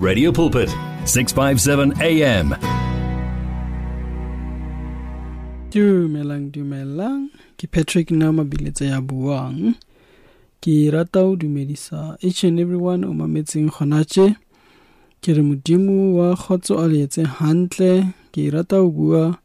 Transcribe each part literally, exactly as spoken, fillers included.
Radio Pulpit, six five seven A M. Dumelang, dumelang. Ke Patrick Nama Biletse ya buang. Ke rata ho dumedisa each and everyone o mametseng hona tje. Ke re Modimo wa kgotso a le etse hantle. Ke rata ho bua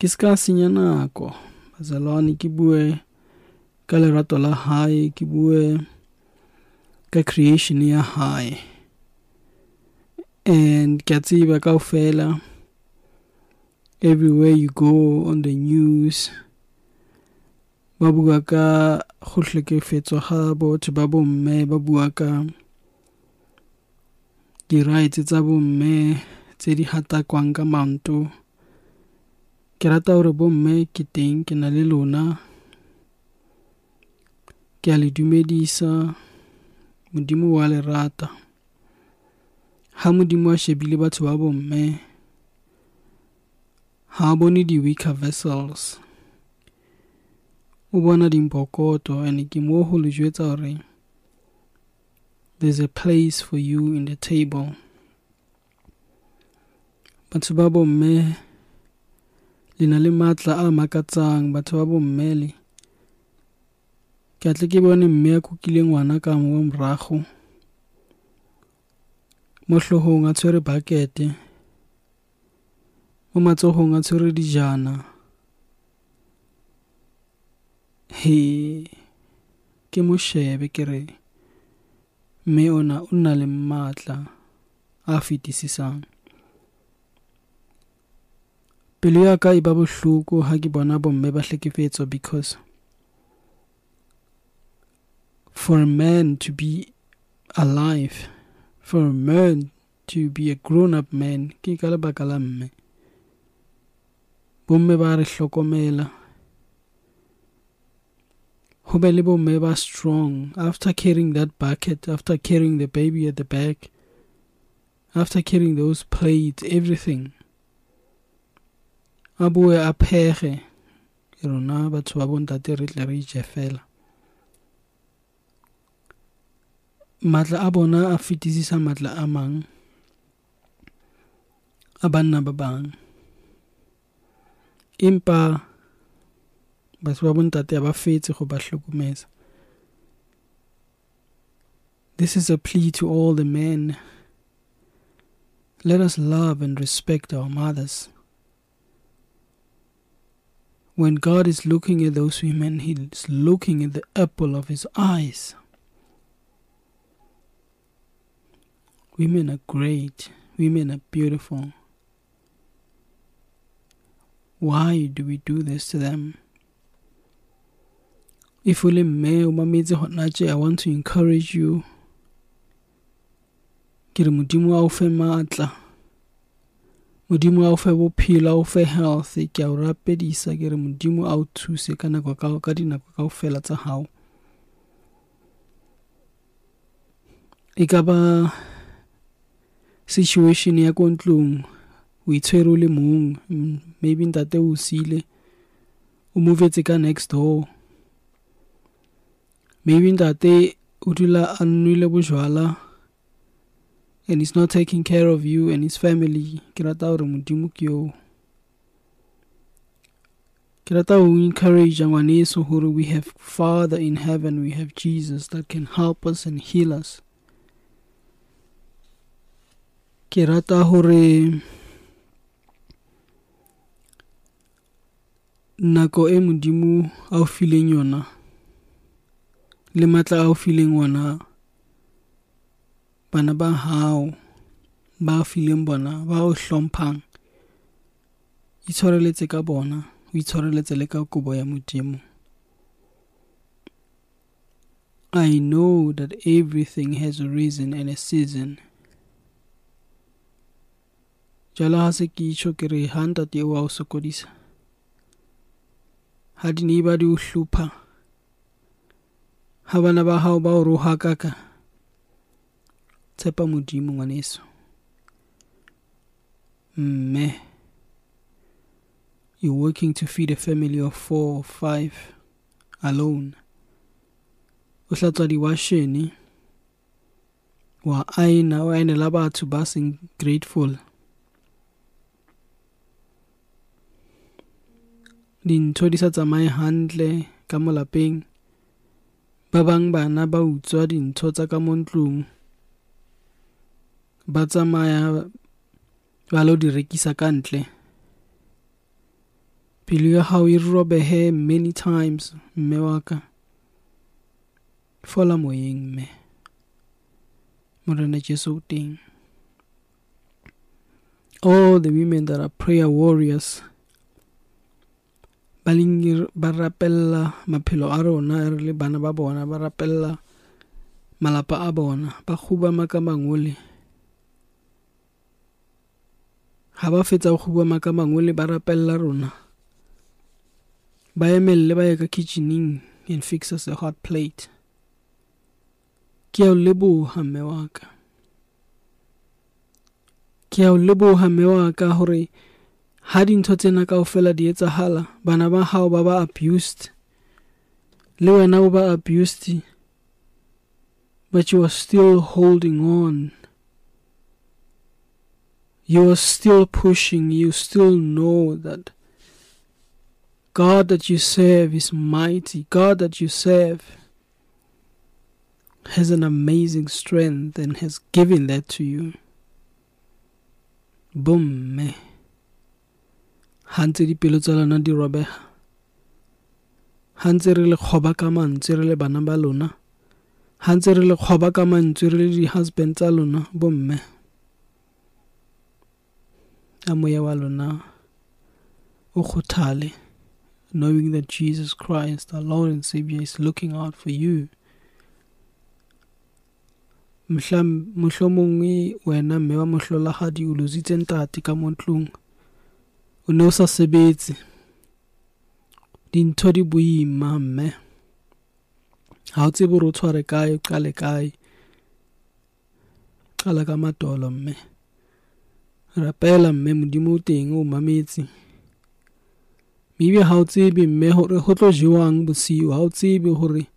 ke ska senya nako. Bazalwane, ke bue ka lerato la hae, ke bue ka creation ya hae. And ke a tseba kaofela, everywhere you go on the news, ba bua ka go hlekefetswa ga batho ba bomme, ba bua ka di-rights tsa bomme tse di hatakwang ka maoto. Ke rata hore bomme ke teng, ke na le lona, ke a le dumedisa. Modimo wa le rata. Ha Modimo a shebile batho ba bomme, ha a bone di-weaker vessels, o bona dimpokoto. And ke mo ho le jwetsa hore there's a place for you in the table. Batho ba bomme le na le matla a makatsang. Batho ba bomme le, ke atle ke bone mme a kukile ngwana ka mo morago, mo hloohong a tshwere bucket, mo matsohong a tshwere dijana. He, ke mo shebe ke re mme ona o na le matla a fetisisang. Pelo ya ka e ba bohloko ha ke bona bomme ba hlekefetswa, because for a man to be alive, for a man to be a grown-up man, ke ka lebaka la mme. Bomme ba re hlokomela. Ho be le bomme ba strong after carrying that bucket, after carrying the baby at the back, after carrying those plates, everything. A bue a phege, rona batho ba bontate re tle re ije fela. Matla a bona a fetisisa matla a mang a banna ba bang. Empa batho ba bontate ha ba fetse go ba hlokomeza. This is a plea to all the men. Let us love and respect our mothers. When God is looking at those women, He is looking at the apple of His eyes. Women are great. Women are beautiful. Why do we do this to them? If o le mme o mametse hona tje, I want to encourage you. Ke re Modimo a o fe matla. Modimo a o fe bophelo, a o fe health. Ke a o rapedisa, ke re Modimo a o thuse ka nako ka, ka dinako kaofela tsa hao. E ka ba situation ya ko ntlong, o itshwere o le mong, maybe ntate o sile, o movetse ka next door. Maybe ntate o dula a nwele bojwala and he's not taking care of you and his family. Ke rata hore Modimo ke eo. Ke rata ho encourage ngwaneso hore we have Father in heaven, we have Jesus that can help us and heal us. Ke rata hore nako e Modimo a o fileng yona le matla a o fileng ona, bana ba hao ba fileng bona, ba o hlomphang, itshwareletse ka bona, o itshwareletse le ka kobo ya Modimo. I know that everything has a reason and a season. Jwale ha se ke itjho ke re ha ntate eo a o sokodisa, ha di-neighbor di o hlopha, ha bana ba hao ba o rohakaka, tshepa Modimo ngwaneso. Mme, you're working to feed a family of four or five alone. O hlatswa diwashene, Wa aena, o aenela batho ba seng grateful. Dintho di sa tsamaye hantle ka mo lapeng. Ba bang bana ba utswa dintho tsa ka mo ntlong, ba tsamaya ba lo di rekisa ka ntle. Pelo ya hao e robehe many times, mme wa ka. Fola moyeng, mme. Morena Jesu o teng. All the women that are prayer warriors, ba leng ba rapella maphelo a rona re le bana ba bona, ba rapella malapa a bona, ba kgubama ka mangole. Ha ba fetsa ho kgubama ka mangole, ba rapella rona. Ba emelle ba ye ka kitchening and fix us a hot plate. Ke a o leboha, mme wa ka. Ke a o leboha, mme wa ka, hore ha dintho tsena kaofela di etsahala, bana ba hao ba ba abused, le wena o ba abused, but you are still holding on. You are still pushing. You still know that God that you serve is mighty. God that you serve has an amazing strength and has given that to you. Bomme, ha ntse dipelo tsa lona di robeha, ha ntse re le kgoba ka mantswe re le bana ba lona, ha ntse re le kgoba ka mantswe re le di-husband tsa lona, bomme, a moya wa lona o kgothale, knowing that Jesus Christ, our Lord and Savior, is looking out for you. Mohla mohlomongwe wena mme wa mohlolahadi o lositse ntate ka mo ntlong, o ne o sa sebetse, dintho di boima mme, ha o tsebe hore o tshware kae, o qale kae. Qala ka matolo mme, rapela mme, Modimo o teng o mametse. Maybe ha o tsebe mme hore ho tlo jewang bosiu, ha o tsebe hore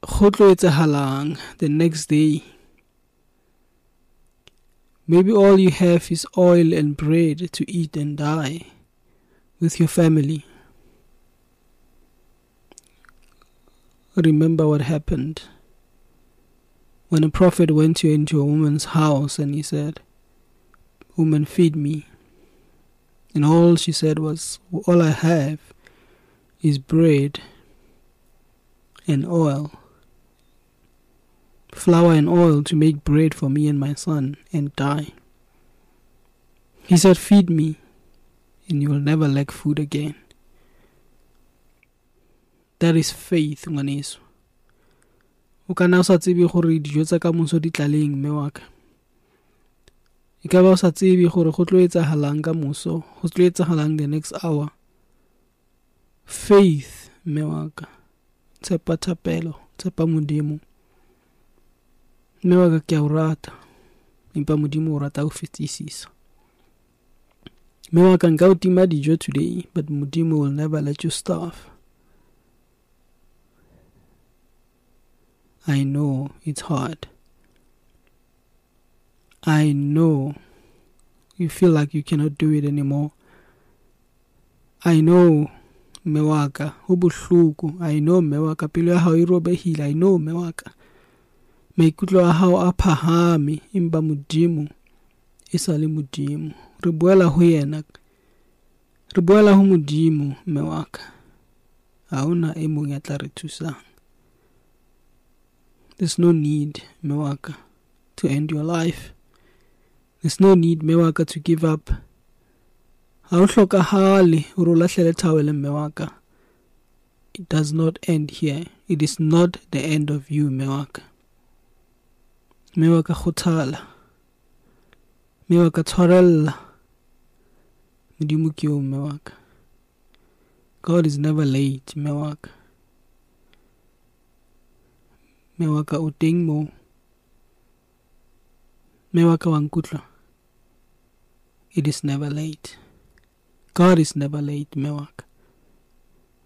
go tlo etsahalang the next day. Maybe all you have is oil and bread to eat and die with your family. Remember what happened when a prophet went into a woman's house and he said, "Woman, feed me." And all she said was, "All I have is bread and oil, flour and oil to make bread for me and my son and die." He said, "Feed me and you will never lack food again." That is faith, ngwaneso. O ka nna o sa tsebe gore dijo tsa ka moso di tlaleng, mme wa ka. E ka ba o sa tsebe gore go tlo etsahalang ka moso, go tlo etsahalang the next hour. Faith, mme wa ka. Tshepa thapelo, tshepa Modimo. Mme wa ka, ke a o rata, empa Modimo o rata ho fetisisa. Mme wa ka, nka o tima dijo today, but Modimo will never let you starve. I know it's hard. I know you feel like you cannot do it anymore. I know, mme wa ka, ho bohloko. I know, mme wa ka, pelo ya hao e robehile. I know, mme wa ka, maikutlo a hao a phahame, empa Modimo e sa le Modimo. Re boela ho yena, re boela ho Modimo, mme wa ka. Ha hona e mong ya tla re thusang. There's no need, mme wa ka, to end your life. There's no need, mme wa ka, to give up. Ha ho hlokahale hore o lahlele towel, mme wa ka. It does not end here. It is not the end of you, mme wa ka. Mme wa ka, kgothala. Mme wa ka, tshwarella. Modimo ke eo, mme wa ka. God is never late, mme wa ka. Mme wa ka, o teng moo. Mme wa ka, wa nkutlwa? It is never late. God is never late, mme wa ka.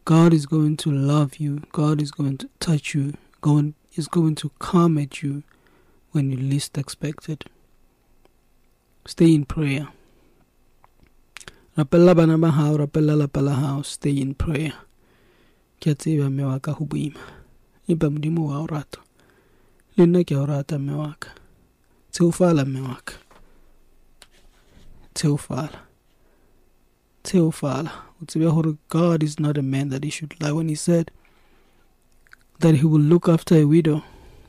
God is going to love you. God is going to touch you. God is going to come at you when you least expect it. Stay in prayer. Rapella bana ba hao, rapella lapa la hao, stay in prayer. Ke a tseba mme wa ka ho boima, empa Modimo wa o rata. Le nna ke a o rata mme wa ka. Tsheofala mme wa ka. Tsheofala. Tsheofala. O tsebe hore God is not a man that he should lie. When he said that he will look after a widow,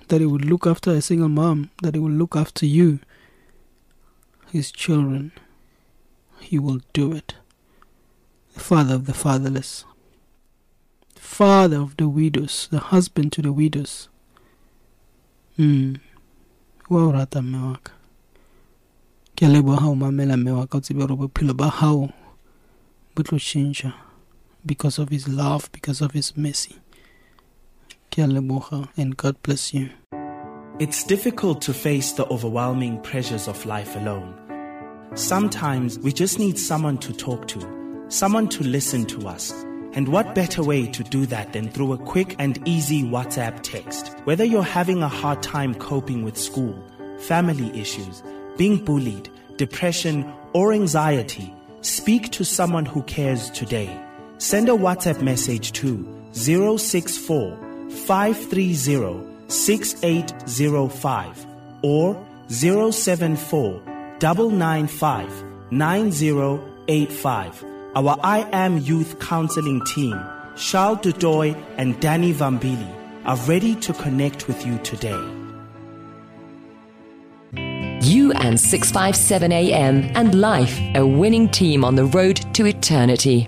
that he will look after a single mom, that he will look after you, his children, he will do it. The father of the fatherless, the father of the widows, the husband to the widows. Mm. Wa o rata mme wa ka. Ke a leboha ha o mamela mme wa ka, o tsebe hore bophelo ba hao bo tlo tjhentjha because of his love, because of his mercy. Ke a leboha, and God bless you. It's difficult to face the overwhelming pressures of life alone. Sometimes we just need someone to talk to, someone to listen to us. And what better way to do that than through a quick and easy WhatsApp text? Whether you're having a hard time coping with school, family issues, being bullied, depression, or anxiety, speak to someone who cares today. Send a WhatsApp message to zero six four, five three zero, six eight zero five or zero seven four, nine nine five, nine zero eight five. Our I Am Youth Counseling team, Charles Dudoy and Danny Vambili, are ready to connect with you today. You and six five seven A M and life, a winning team on the road to eternity.